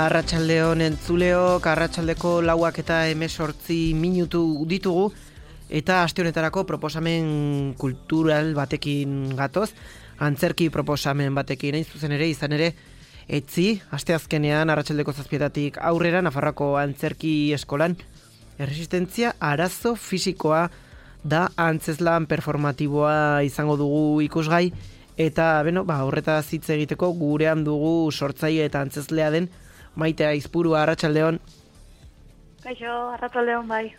Arratsaldeon entzuleok, arratsaldeko 4:18 ditugu, eta aste honetarako proposamen kultural batekin gatoz, antzerki proposamen batekin, hain zuzen ere, izan ere, etzi, asteazkenean arratsaldeko 7:00 aurrera, Nafarroako antzerki eskolan, erresistentzia arazo fisikoa da antzezlan performatiboa izango dugu ikusgai, eta horretaz hitz egiteko gurean dugu sortzaile eta antzezlea den Maite Aizpurua. Arratsaldeon. Kaixo, arratsaldeon bai.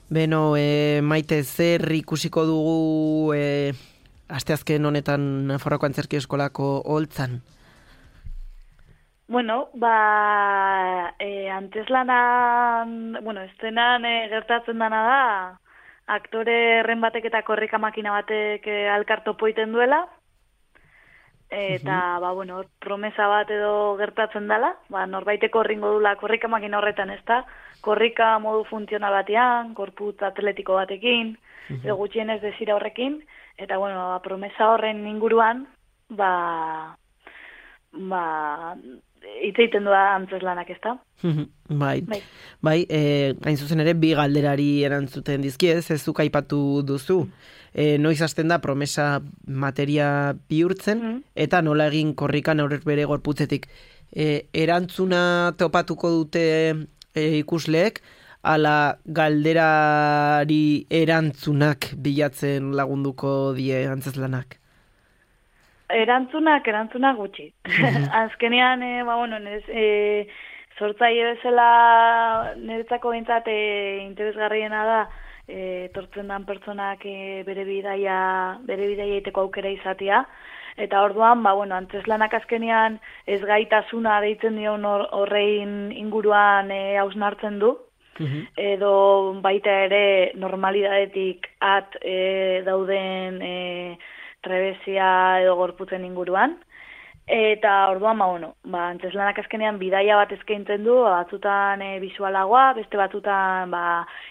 Maite, zer ikusiko dugu asteazken honetan Nafarroako antzerki eskolako holtzan? Antzeslanan, estenan gertatzen dana da, aktore erren batek eta korrika makina batek alkartopo iten duela, eta, promesa bat edo gertatzen dela, norbaiteko ringo dula korrika makina horretan, ez da, korrika modu funtzional batean, korputz atletiko batekin, edo gutxienez desira horrekin, eta, promesa horren inguruan, hitz egiten doa antzeslanak, ez da? Bai, hain zuzen ere, bi galderari erantzuten dizkiez, ez zuk aipatu duzu. Noiz hasten da promesa materia bihurtzen, eta nola egin korrikan aurrez bere gorputzetik. Erantzuna topatuko dute ikusleek, ala galderari erantzunak bilatzen lagunduko die antzeslanak? Erantzunak gutxi. Azkenean, sortzaile bezala niretzako behintzat interesgarriena da, etortzen dan pertsonak bere bidaia egiteko aukera izatea, eta orduan, antzeslanak azkenean ez gaitasuna deitzen dion horrein inguruan hausnartzen du, edo baita ere normalidadetik dauden trebesia edo gorputzen inguruan, eta orduan, antzeslanak azkenean bidaia bat eskaintzen du, batzutan bisualagoa, beste batzutan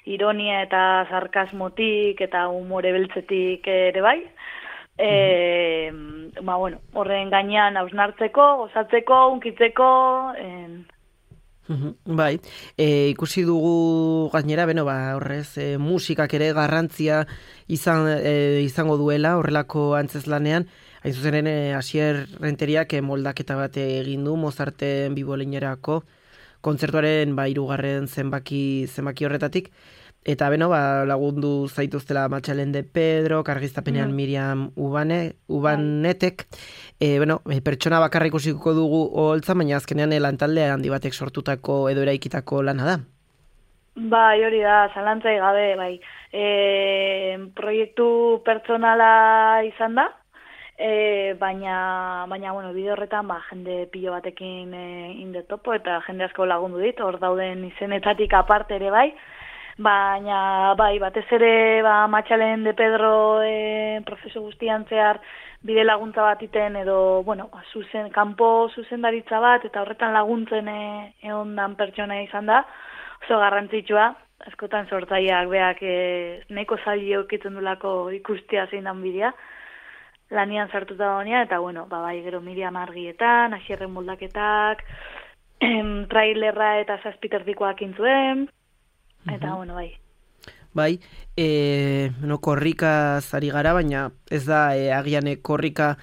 ironia eta sarkasmotik eta humore beltzetik ere bai, horren gainean hausnartzeko, gozatzeko, unkitzeko, Bai, ikusi dugu gainera, horrez, musikak ere garrantzia izango duela horrelako antzeslanean, hain zuzen Asier Renteriak moldaketa bat egin du Mozarten biboleinerako kontzertuaren 3. zenbaki horretatik, eta lagundu zaituztela Matxalen de Pedro, kargiztapenean Miriam Ubanetek, pertsona bakarra ikusiko dugu holtza, baina azkenean lantaldea handi batek sortutako edo eraikitako lana da. Bai, hori da, zalantzai gabe, bai. Proiektu pertsonala izan da, baina bide horretan jende pilo batekin indetopo eta jende asko lagundu dit, hor dauden izenetatik aparte ere bai, baina batez ere Matxalen de Pedro prozesu guztian zehar bide laguntza bat iten edo, kanpo zuzendaritza bat eta horretan laguntzen egondan pertsona izan da, oso garrantzitsua, askotan sortzaileak beak nahiko zaila eukitzen dulako ikustea zein dan bidea, lanian sartuta dagoenia, eta gero Miriam argietan, Asierren moldaketak, trailerra eta 7 erdikoak intzuen, eta bai. Bai, korrikaz ari gara, baina ez da agian korrika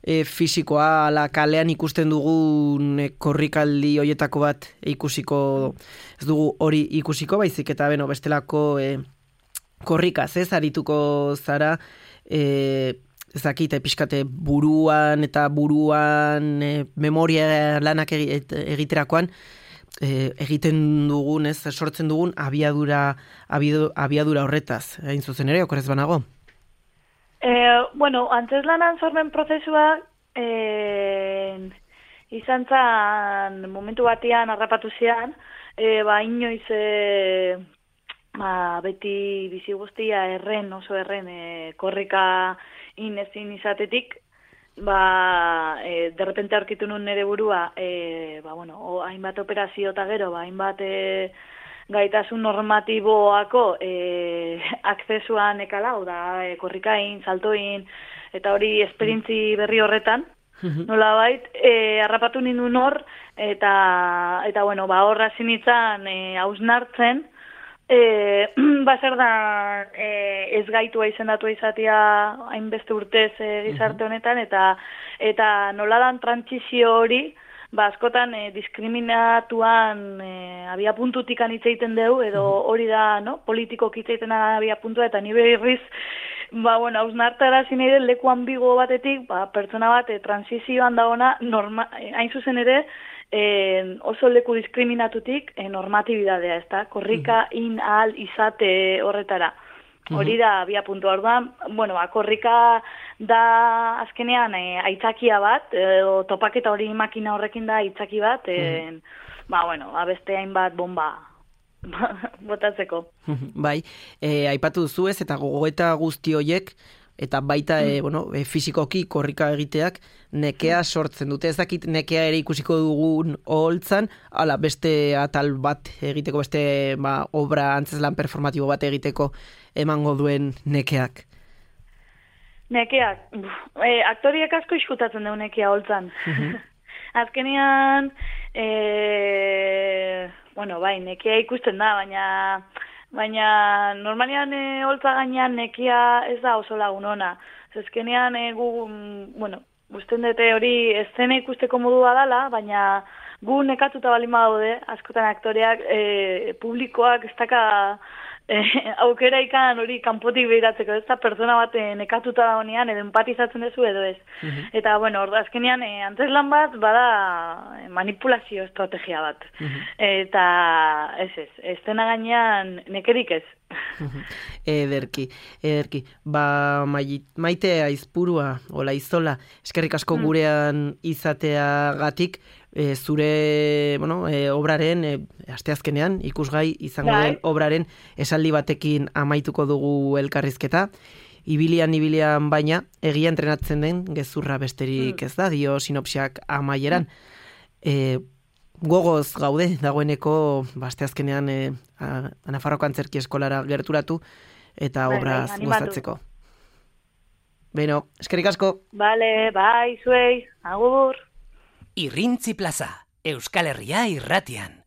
fisikoa, ala kalean ikusten dugun korrikaldi hoietako bat ikusiko, ez dugu hori ikusiko, baizik eta bestelako korrikaz, ez arituko zara, ezakite pixkate buruan memoria lanak egiterakoan, egiten dugun, sortzen dugun abiadura horretaz, hain zuzen ere, okorez banago? Antzeslanan sormen prozesua izan zan momentu batean harrapatu zian, inoiz beti bizi guztia oso erren korrika inezin izatetik, derrepente aurkitu nun nire burua, hainbat operazio eta gero, hainbat gaitasun normatiboako akzesuan ekala, korrikain, saltoin, eta hori esperientzi berri horretan, nolabait, harrapatu nindun hor, eta bueno, ba, horra zinitzan hausnartzen, zer da ez gaitua izendatua izatea hainbeste urtez gizarte honetan, eta noladan trantsizio hori, ba, askotan diskriminatuan abia puntutik hitz egiten dugu, edo hori da, no? Politikok hitz egiten abia puntua, eta nire irriz, ba, bueno, hausnartara zinei leku ambigo batetik, ba, pertsona bat transizioan dagoena, hain zuzen ere, oso leku diskriminatutik normatibidadea, ez da? Korrika in ahal izate horretara. Hori da, abia puntu orduan, bueno, korrika da azkenean aitzakia bat, topaketa hori makina horrekin da aitzaki bat, ba, bueno, beste hainbat bomba botatzeko. Bai, aipatu duzu ez, eta gogoeta guzti horiek, eta baita fisikoki korrika egiteak nekea sortzen dute. Ez dakit nekea ere ikusiko dugun oholtzan, ala beste atal bat egiteko, beste obra antzeslan performatibo bat egiteko emango duen nekeak. Nekeak, aktoriek asko iskutatzen dugu nekea oholtzan. Azkenean, bueno, bai, nekea ikusten da, baina normalian holtza gainean nekia ez da oso lagun ona. Azkenean bueno, gusten dute hori eszena ikusteko modua dela, baina gu nekatuta balin badaude, askotan aktoreak, publikoak ez daka aukera ikan hori kanpotik behiratzeko, ez da pertsona bat nekatuta da honean, edo empatizatzen duzu edo ez. Eta, bueno, azkenean antzeslan bat bada manipulazio estrategia bat. Eta eszena gainean nekerik ez. Ederki. Ba, Maite Aizpurua, Ola Izola, eskerrik asko gurean izateagatik, zure obraren, asteazkenean, ikusgai izango den obraren esaldi batekin amaituko dugu elkarrizketa. Ibilian baina, egia entrenatzen den gezurra besterik ez da, dio sinopsiak amaieran. Gogoz gaude, dagoeneko asteazkenean Nafarroko Antzerki Eskolara gerturatu eta obraz gozatzeko. Beno, eskerrik asko. Bale, bai, zuei, agur. Irrintzi Plaza, Euskal Herria irratian.